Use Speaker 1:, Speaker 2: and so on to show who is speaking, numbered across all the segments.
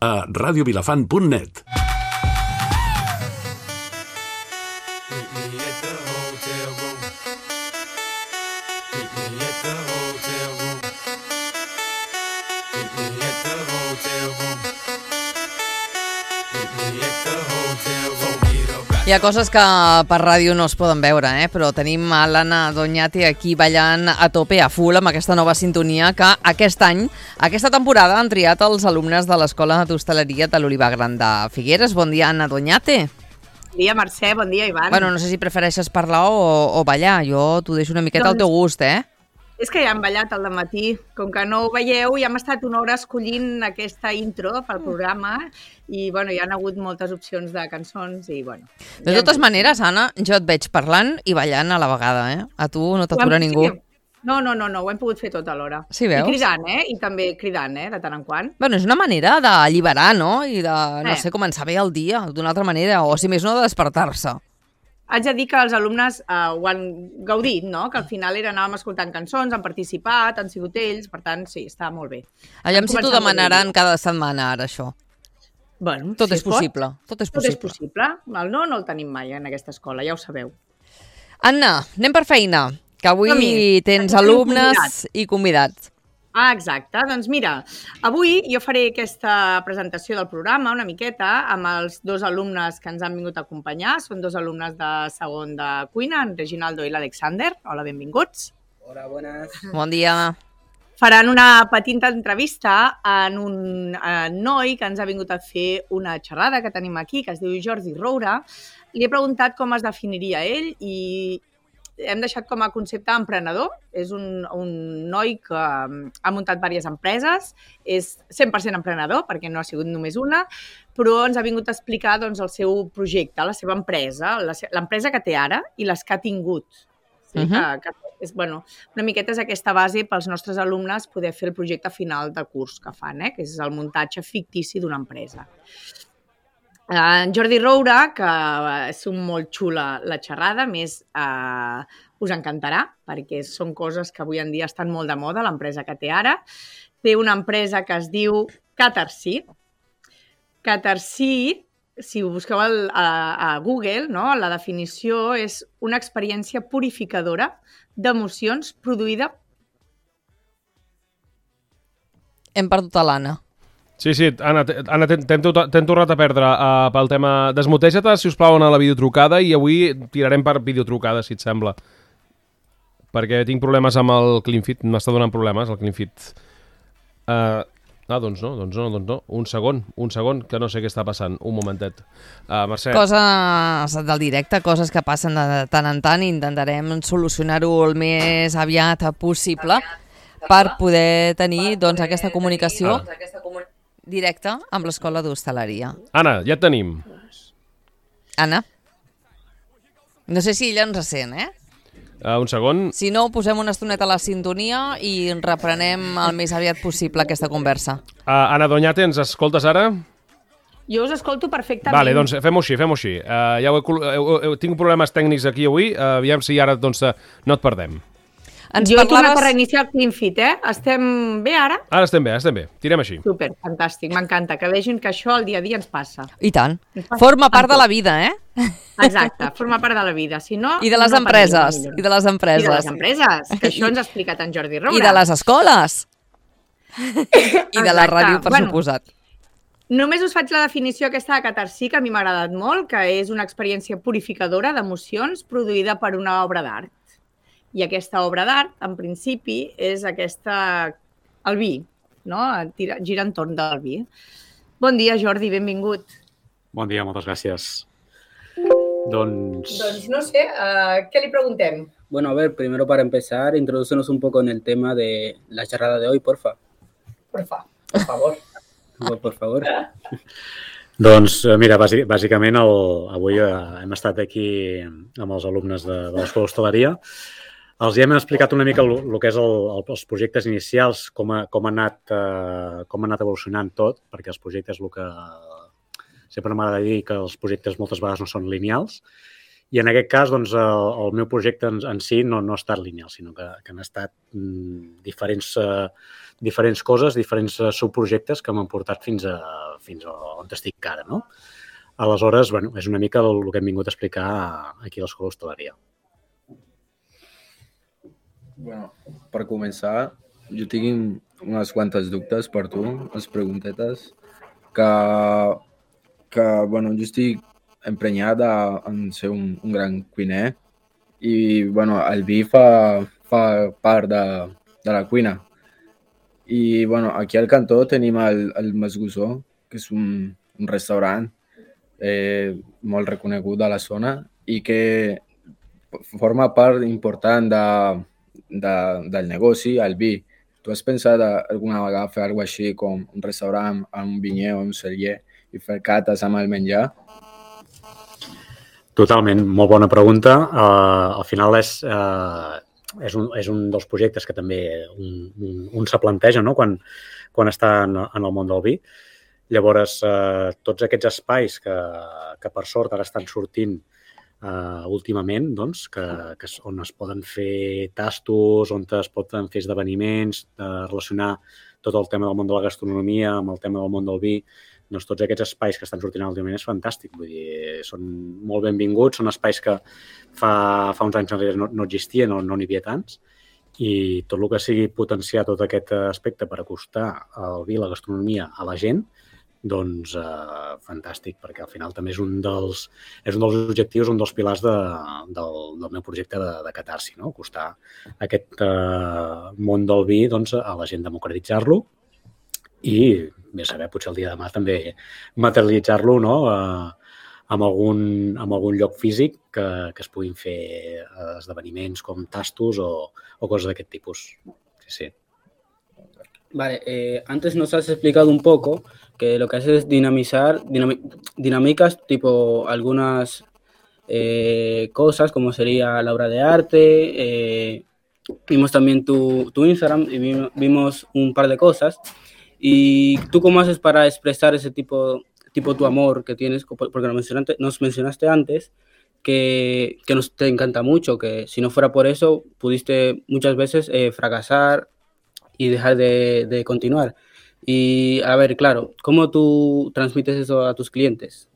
Speaker 1: a radiovilafant.net.
Speaker 2: Hi ha coses que per ràdio no es poden veure, però tenim a l'Anna Doñate aquí ballant a tope, a full, amb aquesta nova sintonia que aquest any, aquesta temporada, han triat els alumnes de l'Escola d'Hostaleria de l'Olivar Gran de Figueres. Bon dia, Anna Doñate.
Speaker 3: Bon dia, Mercè, bon dia, Ivan.
Speaker 2: Bueno, no sé si prefereixes parlar o ballar. Jo t'ho deixo una miqueta al teu gust,
Speaker 3: És que ja hem ballat al dematí. Com que no ho veieu, ja hem estat una hora escollint aquesta intro pel programa i, bueno, hi ha hagut moltes opcions de cançons i, bueno...
Speaker 2: De totes maneres, Anna, jo et veig parlant i ballant a la vegada, A tu no t'atura ningú.
Speaker 3: No, ho hem pogut fer tot alhora.
Speaker 2: Sí, veus?
Speaker 3: I cridant, I també cridant, de tant en quant.
Speaker 2: Bueno, és una manera d'alliberar, no? I de, no sé, començar bé el dia d'una altra manera, o si més no, de despertar-se.
Speaker 3: Haig de dir que els alumnes ho han gaudit, no? Que al final anàvem escoltant cançons, han participat, han sigut ells, per tant, sí, està molt bé.
Speaker 2: Aviam si t'ho demanaran cada setmana, ara, això.
Speaker 3: Bueno,
Speaker 2: tot és possible. Tot és
Speaker 3: possible. El no el tenim mai en aquesta escola, ja ho sabeu.
Speaker 2: Anna, anem per feina, que avui tens alumnes i convidats.
Speaker 3: Ah, exacte. Doncs mira, avui jo faré aquesta presentació del programa una miqueta amb els dos alumnes que ens han vingut a acompanyar. Són dos alumnes de segon de cuina, en Reginaldo i l'Alexander. Hola, benvinguts.
Speaker 4: Hola, buenas.
Speaker 2: Bon dia.
Speaker 3: Faran una petita entrevista en un noi que ens ha vingut a fer una xerrada que tenim aquí, que es diu Jordi Roura. Li he preguntat com es definiria ell i hem deixat com a concepte emprenedor. És un noi que ha muntat diverses empreses, és 100% emprenedor, perquè no ha sigut només una, però ens ha vingut a explicar doncs, el seu projecte, la seva empresa, l'empresa que té ara i les que ha tingut. Sí? Que és, bueno, una miqueta és aquesta base pels nostres alumnes poder fer el projecte final de curs que fan, que és el muntatge fictici d'una empresa. En Jordi Roura, que és molt xula la xerrada, més us encantarà, perquè són coses que avui en dia estan molt de moda, l'empresa que té ara. Té una empresa que es diu Catarsí. Catarsí, si ho busqueu a Google, no? La definició és una experiència purificadora d'emocions produïda...
Speaker 2: Hem perdut a l'Anna.
Speaker 5: Sí, Anna, t'hem tornat a perdre pel tema... Desmuteja-te, si us plau, a la videotrucada i avui tirarem per videotrucada, si et sembla. Perquè tinc problemes amb el CleanFit, m'està donant problemes el CleanFit. Doncs no. Un segon, que no sé què està passant. Un momentet. Mercè.
Speaker 2: Coses del directe, coses que passen de tant en tant i intentarem solucionar-ho el més aviat possible per poder tenir doncs, aquesta comunicació directa amb l'Escola d'Hostaleria.
Speaker 5: Anna, ja et tenim.
Speaker 2: Anna? No sé si ella ens sent,
Speaker 5: Un segon.
Speaker 2: Si no, posem una estoneta a la sintonia i reprenem el més aviat possible aquesta conversa.
Speaker 5: Anna Doñate, ens escoltes ara?
Speaker 3: Jo us escolto perfectament.
Speaker 5: Vale, doncs fem-ho així. Tinc problemes tècnics aquí avui, aviam si ara doncs, no et perdem.
Speaker 3: Jo he tornat a reiniciar el CleanFit, Estem bé ara?
Speaker 5: Ara estem bé. Tirem així.
Speaker 3: Super, fantàstic, m'encanta, que vegin que això al dia a dia ens passa.
Speaker 2: I tant. Forma part de la vida,
Speaker 3: Exacte, forma part de la vida. Si no,
Speaker 2: I de les empreses.
Speaker 3: I de les empreses, que això ens ha explicat en Jordi Roura.
Speaker 2: I de les escoles. I de la ràdio, per suposat.
Speaker 3: Només us faig la definició aquesta de Catarsí, que a mi m'ha agradat molt, que és una experiència purificadora d'emocions produïda per una obra d'art. I aquesta obra d'art, en principi, és el vi, no? Gira entorn del vi. Bon dia, Jordi, benvingut.
Speaker 6: Bon dia, moltes gràcies. Doncs
Speaker 3: no sé, ¿qué le preguntem?
Speaker 4: Bueno, a ver, primero para empezar, introducirnos un poco en el tema de la charrada de hoy, porfa.
Speaker 3: Por favor.
Speaker 4: Por favor.
Speaker 6: Doncs, mira, bàsicament avui hem estat aquí amb els alumnes de l'Escola d'Hostaleria. Els hem explicat una mica el que és els projectes inicials, com ha anat evolucionant tot, perquè els projectes, el que sempre m'agrada dir que els projectes moltes vegades no són lineals, i en aquest cas doncs, el meu projecte en si no ha estat lineal, sinó que han estat diferents diferents coses, diferents subprojectes que m'han portat fins a on estic ara, no? Aleshores, bueno, és una mica el que hem vingut a explicar aquí a l'Escola d'Hostaleria.
Speaker 7: Bueno, per començar, jo tinc unes quantes dubtes per tu, unes preguntetes, que bueno, jo estic emprenyat en ser un gran cuiner i bueno, el vi fa part de la cuina. I bueno, aquí al cantó tenim el Masgussó, que és un restaurant molt reconegut de la zona i que forma part important del negoci, el vi. Tu has pensat alguna vegada fer alguna cosa així com un restaurant amb un vinyer o un celler i fer cates amb el menjar?
Speaker 6: Totalment, molt bona pregunta. Al final és un dels projectes que també un se planteja, no? quan està en el món del vi. Llavors, tots aquests espais que per sort ara estan sortint últimament, doncs, on es poden fer tastos, on es poden fer esdeveniments, relacionar tot el tema del món de la gastronomia amb el tema del món del vi, doncs tots aquests espais que estan sortint últimament és fantàstic. Vull dir, són molt benvinguts, són espais que fa uns anys enrere no existien, no n'hi havia tants, i tot el que sigui potenciar tot aquest aspecte per acostar el vi, la gastronomia a la gent, doncs fantàstic, perquè al final també és un dels objectius, un dels pilars del meu projecte de Catarsi, no? Acostar aquest món del vi doncs, a la gent, democratitzar-lo i, bé saber, potser el dia de demà també materialitzar-lo, no? amb algun lloc físic que es puguin fer esdeveniments com tastos o coses d'aquest tipus. Sí.
Speaker 4: Vale, antes nos has explicado un poco que lo que haces es dinamizar dinámicas, tipo algunas cosas, como sería la obra de arte. Vimos también tu Instagram y vimos un par de cosas. ¿Y tú cómo haces para expresar ese tipo tu amor que tienes? Porque nos mencionaste antes que te encanta mucho, que si no fuera por eso pudiste muchas veces fracasar y dejar de continuar. Y, a ver, claro, ¿cómo tú transmites eso a tus clientes?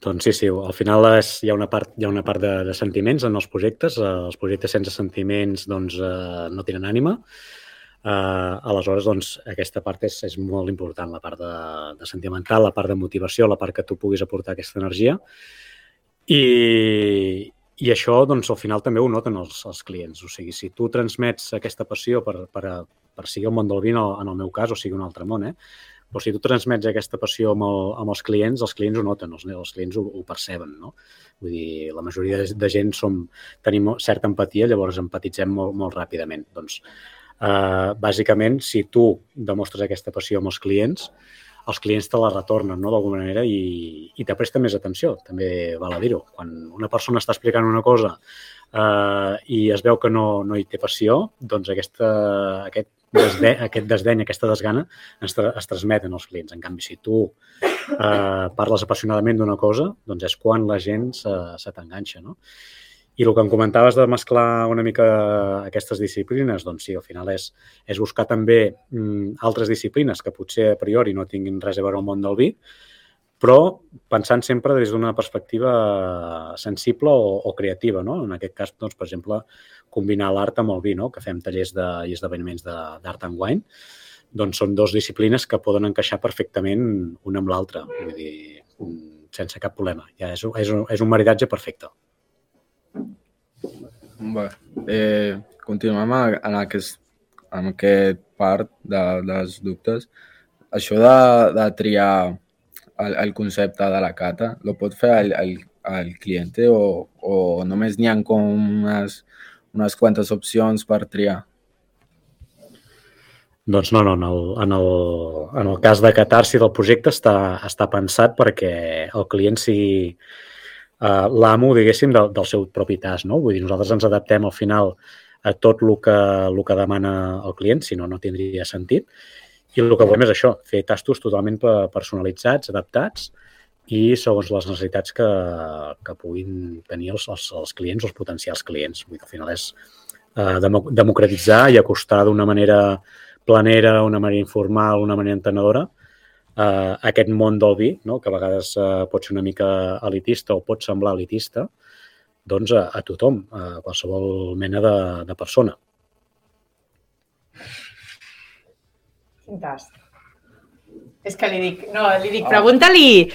Speaker 6: Doncs sí, al final hi ha una part de sentiments en els projectes. Els projectes sense sentiments doncs, no tenen ànima. Aleshores, doncs, aquesta part és molt important, la part de sentimental, la part de motivació, la part que tu puguis aportar aquesta energia. I això, doncs, al final també ho noten els clients. O sigui, si tu transmets aquesta passió per seguir el món del vi, en el meu cas, o sigui un altre món, però si tu transmets aquesta passió amb els clients ho noten, els clients ho perceben, no? Vull dir, la majoria de gent tenim certa empatia, llavors empatitzem molt ràpidament. Doncs, bàsicament, si tu demostres aquesta passió amb els clients te la retornen, no?, d'alguna manera i te presten més atenció, també val a dir-ho. Quan una persona està explicant una cosa i es veu que no hi té passió, doncs aquest desdeny, aquesta desgana es transmeten als clients. En canvi, si tu parles apassionadament d'una cosa, doncs és quan la gent se t'enganxa, no? I el que em comentaves de mesclar una mica aquestes disciplines, doncs sí, al final és buscar també altres disciplines que potser a priori no tinguin res a veure al món del vi, però pensant sempre des d'una perspectiva sensible o creativa, no? En aquest cas, doncs, per exemple, combinar l'art amb el vi, no? Que fem tallers i esdeveniments d'art and wine, doncs són dues disciplines que poden encaixar perfectament una amb l'altra, vull dir, sense cap problema. Ja és un maridatge perfecte.
Speaker 7: Bé, continuem en aquest part dels dubtes. Això de triar el concepte de la cata, lo pot fer el client o només n'hi ha com unes quantes opcions per triar?
Speaker 6: Doncs no, en el cas de Catarsi del projecte està pensat perquè el client sigui l'amo, diguéssim, del seu propi tas, no? Vull dir, nosaltres ens adaptem al final a tot el que demana el client, si no tindria sentit. I el que volem és això, fer tastos totalment personalitzats, adaptats i segons les necessitats que puguin tenir els clients o els potencials clients. Vull dir, al final és democratitzar i acostar d'una manera planera, una manera informal, una manera entenedora, aquest món del vi, no? Que a vegades pot ser una mica elitista o pot semblar elitista, doncs a tothom, a qualsevol mena de persona.
Speaker 3: Quin tast. És que li dic, pregunta-li,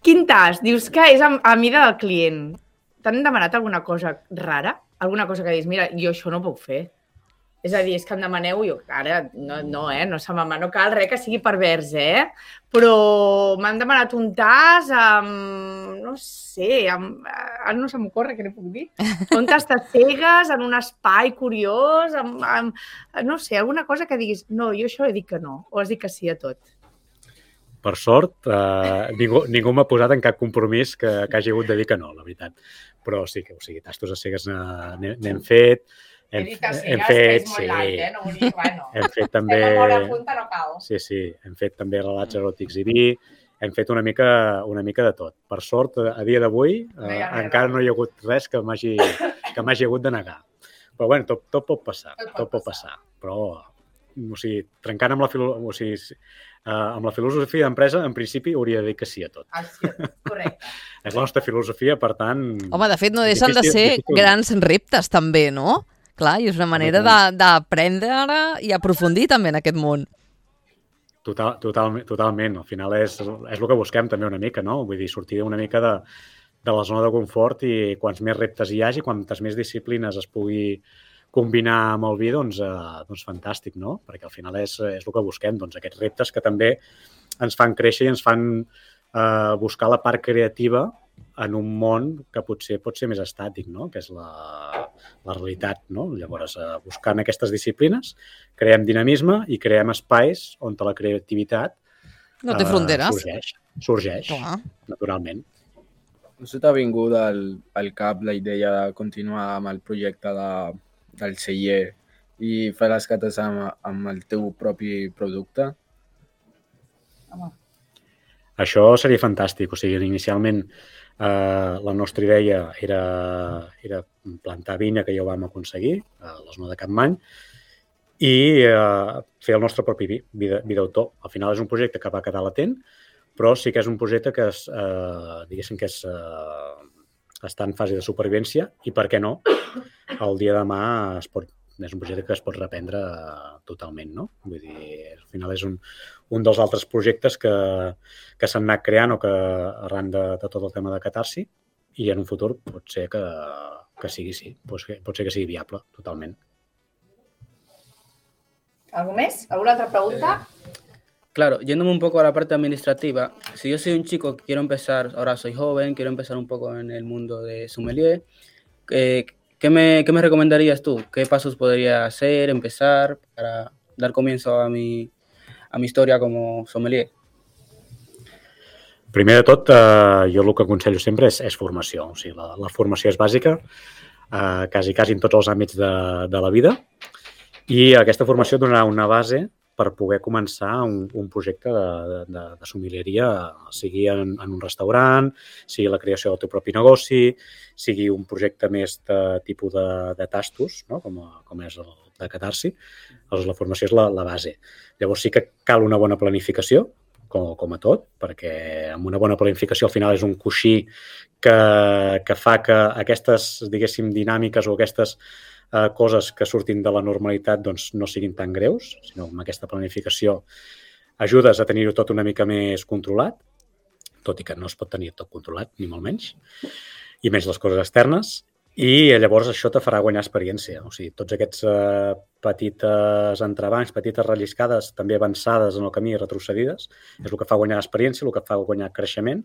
Speaker 3: quin tast? Dius que és a mida del client. T'han demanat alguna cosa rara? Alguna cosa que dius, mira, jo això no puc fer. És a dir, és que em demaneu, jo, ara, no, no cal res que sigui pervers, però m'han demanat un tas amb, no sé, ara no se m'ocorre, què ne puc dir? Un tas de cegues, en un espai curiós, no sé, alguna cosa que diguis, no, jo això he dit que no, o has dit que sí a tot.
Speaker 6: Per sort, ningú m'ha posat en cap compromís que hagi hagut de dir que no, la veritat. Però sí que, tastos a cegues n'hem fet.
Speaker 3: He dit a cegues, que és molt light, no vull dir, bueno.
Speaker 6: Hem fet també...
Speaker 3: Estem a l'hora punta, no cal.
Speaker 6: Sí, hem fet també relats eròtics i vi, hem fet una mica de tot. Per sort, a dia d'avui, encara no hi ha hagut res que m'hagi hagut de negar. Però bueno, tot pot passar, Però, o sigui, trencant amb la filosofia d'empresa, en principi hauria de dir que sí a tot.
Speaker 3: Sí, correcte.
Speaker 6: És la nostra filosofia, per tant...
Speaker 2: Home, de fet, no deixen de ser grans reptes, també, no? Clar, i és una manera d'aprendre i aprofundir també en aquest món.
Speaker 6: Totalment. Al final és el que busquem també una mica, no? Vull dir, sortir una mica de la zona de confort i quants més reptes hi hagi, quantes més disciplines es pugui combinar amb el vi, doncs fantàstic, no? Perquè al final és el que busquem, doncs aquests reptes que també ens fan créixer i ens fan buscar la part creativa en un món que potser pot ser més estàtic, no? Que és la realitat, no? Llavors, buscant aquestes disciplines, creem dinamisme i creem espais on la creativitat
Speaker 2: no té fronteres.
Speaker 6: Sorgeix, naturalment.
Speaker 7: No se t'ha vingut al cap la idea de continuar amb el projecte del celler i fer les cates amb el teu propi producte?
Speaker 6: Això seria fantàstic. O sigui, inicialment la nostra idea era plantar vinya, que ja ho vam aconseguir, a la zona de Capmany, i fer el nostre propi vi d'autor. Al final és un projecte que va quedar latent, però sí que és un projecte que diguéssim que està en fase de supervivència i, per què no, el dia de demà és un projecte que es pot reprendre totalment, no? Vull dir, al final és un dels altres projectes que s'han anat creant o que arran de tot el tema de catarsi, i en un futur pot ser que sigui, sí, pot ser que sigui viable, totalment.
Speaker 3: ¿Algo más? ¿Alguna otra pregunta?
Speaker 4: Claro, yéndome un poco a la parte administrativa, si yo soy un chico que quiero empezar, ahora soy joven, quiero empezar un poco en el mundo de sommelier, ¿qué me recomendarías tú? ¿Qué pasos podría hacer, empezar para dar comienzo a mi historia como sommelier?
Speaker 6: Primer de tot, jo el que aconsello sempre és formació. O sigui, la formació és bàsica, quasi en tots els àmbits de la vida, i aquesta formació donarà una base per poder començar un projecte de sommelieria, sigui en un restaurant, sigui la creació del teu propi negoci, sigui un projecte més de tipus de tastos, no? com és el de catarsi. Llavors, la formació és la base. Llavors sí que cal una bona planificació, com a tot, perquè amb una bona planificació al final és un coixí que fa que aquestes, diguéssim, dinàmiques o aquestes coses que surtin de la normalitat doncs, no siguin tan greus, sinó amb aquesta planificació ajudes a tenir-ho tot una mica més controlat, tot i que no es pot tenir tot controlat, ni molt menys, i menys les coses externes, i llavors això te farà guanyar experiència. O sigui, tots aquests petites entrebancs, petites relliscades, també avançades en el camí i retrocedides, és el que fa guanyar experiència, el que fa guanyar creixement,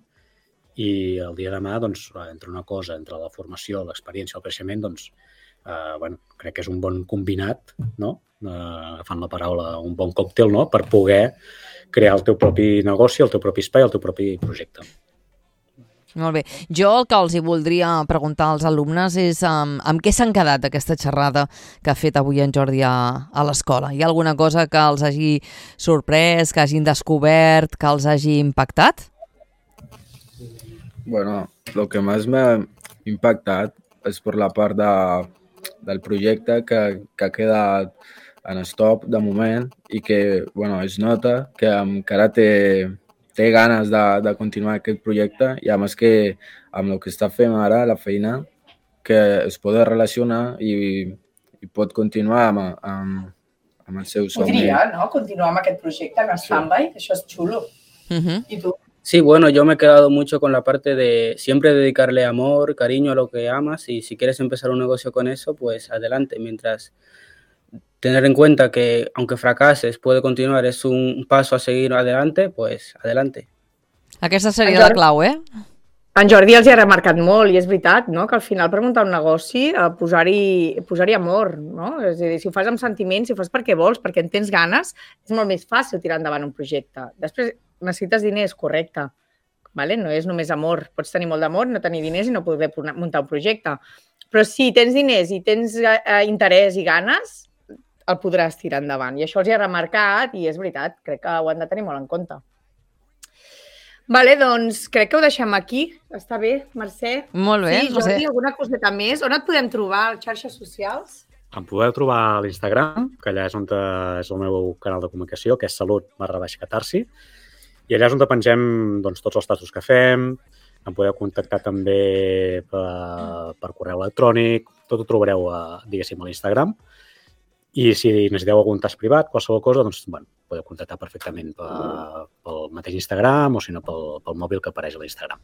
Speaker 6: i el dia de demà, doncs, entre una cosa, entre la formació, l'experiència i el creixement, doncs, crec que és un bon combinat, no? Agafant la paraula, un bon còctel, no? Per poder crear el teu propi negoci, el teu propi espai, el teu propi projecte.
Speaker 2: Molt bé. Jo el que els hi voldria preguntar als alumnes és amb què s'han quedat aquesta xerrada que ha fet avui en Jordi a l'escola. Hi ha alguna cosa que els hagi sorprès, que hagin descobert, que els hagi impactat?
Speaker 7: Bueno, lo que más me ha impactado es por la parte del projecte que ha quedat en stop de moment i que es nota que encara té ganes de continuar aquest projecte i a més que amb el que està fent ara, la feina, que es pot relacionar i pot continuar amb el seu somni.
Speaker 3: Podria, no?, continuar amb aquest projecte en stand-by, això és xulo. I tu?
Speaker 4: Sí, yo me he quedado mucho con la parte de siempre dedicarle amor, cariño a lo que amas y si quieres empezar un negocio con eso, pues adelante. Mientras tener en cuenta que aunque fracases puede continuar, es un paso a seguir adelante, pues adelante.
Speaker 2: Aquesta seria la clau,
Speaker 3: En Jordi els hi ha remarcat molt i és veritat, no?, que al final per muntar un negoci posar-hi amor, no? És a dir, si ho fas amb sentiments, si ho fas perquè vols, perquè en tens ganes, és molt més fàcil tirar endavant un projecte. Després necessites diners, correcte, vale? No és només amor. Pots tenir molt d'amor, no tenir diners i no poder muntar un projecte. Però si tens diners i tens interès i ganes, el podràs tirar endavant. I això els hi ha remarcat i és veritat, crec que ho han de tenir molt en compte. Vale, doncs crec que ho deixem aquí. Està bé, Mercè?
Speaker 2: Molt bé.
Speaker 3: Sí, Jordi, alguna coseta més? On et podem trobar? A les xarxes socials?
Speaker 6: Em podeu trobar a l'Instagram, que allà és on és el meu canal de comunicació, que és salut_catarsi, i allà és on pengem tots els tastos que fem. Em podeu contactar també per correu electrònic, tot ho trobareu, diguéssim, a l'Instagram. I si necessiteu algun tast privat, qualsevol cosa, podeu contactar perfectament pel mateix Instagram o si no pel mòbil que apareix a l'Instagram.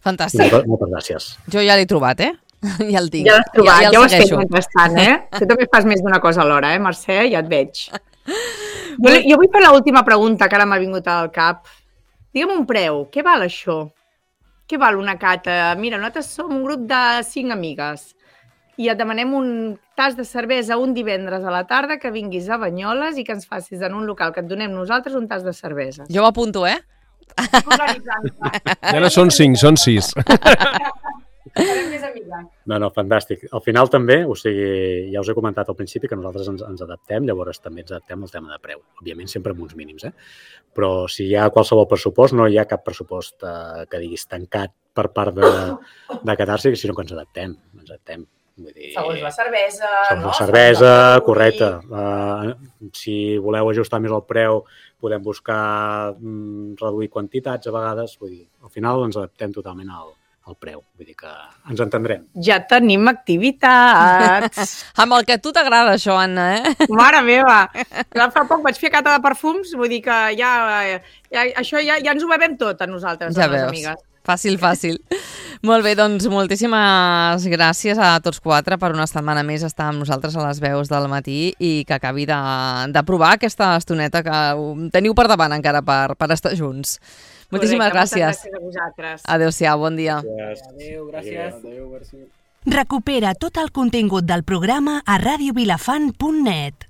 Speaker 2: Fantàstic.
Speaker 6: Moltes gràcies.
Speaker 2: Jo ja l'he trobat, Ja el tinc.
Speaker 3: Ja l'has trobat, ja ho has fet mentrestant, Tu també fas més d'una cosa alhora, Mercè? Ja et veig. Jo vull fer l'última pregunta que ara m'ha vingut al cap. Digue'm un preu, què val això? Què val una cata? Mira, nosaltres som un grup de 5 amigues i et demanem un tas de cervesa un divendres a la tarda que vinguis a Banyoles i que ens facis en un local que et donem nosaltres un tas de cervesa.
Speaker 2: Jo ho apunto,
Speaker 5: Ja no són 5, són 6.
Speaker 6: No, fantàstic. Al final també, o sigui, ja us he comentat al principi que nosaltres ens adaptem, llavors també ens adaptem al tema de preu. Òbviament sempre amb uns mínims, Però si hi ha qualsevol pressupost, no hi ha cap pressupost que diguis tancat per part de Catarsi, sinó que ens adaptem. Vull dir,
Speaker 3: segons la cervesa,
Speaker 6: segons la cervesa, correcte. Si voleu ajustar més el preu, podem buscar reduir quantitats a vegades. Vull dir, al final ens adaptem totalment al preu. Vull dir que ens entendrem.
Speaker 3: Ja tenim activitats.
Speaker 2: Amb el que a tu t'agrada, això, Anna,
Speaker 3: Mare meva! Fa poc vaig fer cata de perfums, vull dir que això ja ens ho bevem tot a nosaltres,
Speaker 2: ja
Speaker 3: a les
Speaker 2: veus.
Speaker 3: amigues.
Speaker 2: Fàcil. Molt bé, doncs moltíssimes gràcies a tots 4 per una setmana més estar amb nosaltres a les veus del matí i que acabi de provar aquesta estoneta que teniu per davant encara per estar junts. Moltíssimes gràcies.
Speaker 3: Moltes gràcies a vosaltres.
Speaker 2: Adéu-siau, bon dia.
Speaker 4: Adéu, gràcies.
Speaker 8: Recupera tot el contingut del programa a radiovilafant.net.